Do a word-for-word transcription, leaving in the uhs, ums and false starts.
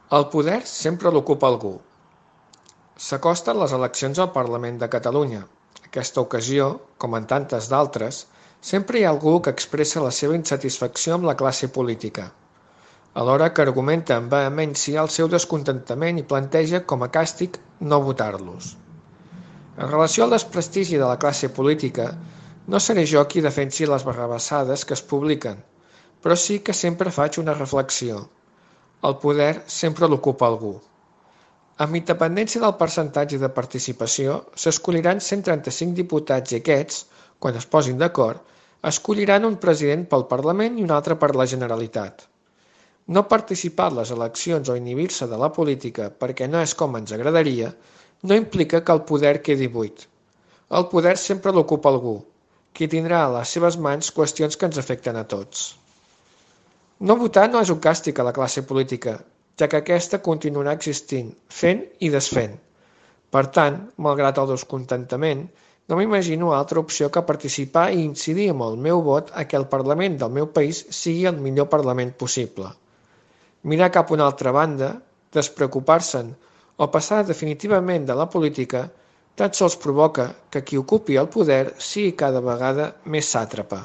El poder sempre l'ocupa algú. S'acosten les eleccions al Parlament de Catalunya. Aquesta ocasió, com en tantes d'altres, sempre hi ha algú que expressa la seva insatisfacció amb la classe política, alhora que argumenta amb vehemència el seu descontentament i planteja com a càstig no votar-los. En relació al desprestigi de la classe política, no seré jo qui defensi les barrabassades que es publiquen, però sí que sempre faig una reflexió. El poder sempre l'ocupa algú. Amb independència del percentatge de participació, s'escolliran cent trenta-cinc diputats i aquests, quan es posin d'acord, escolliran un president pel Parlament i un altre per la Generalitat. No participar en les eleccions o inhibir-se de la política perquè no és com ens agradaria, no implica que el poder quedi buit. El poder sempre l'ocupa algú, qui tindrà a les seves mans qüestions que ens afecten a tots. No votar no és un càstig a la classe política, ja que aquesta continuarà existint, fent i desfent. Per tant, malgrat el descontentament, no m'imagino altra opció que participar i incidir amb el meu vot a que el Parlament del meu país sigui el millor Parlament possible. Mirar cap a una altra banda, despreocupar-se'n o passar definitivament de la política tan sols provoca que qui ocupi el poder sigui cada vegada més sàtrapa.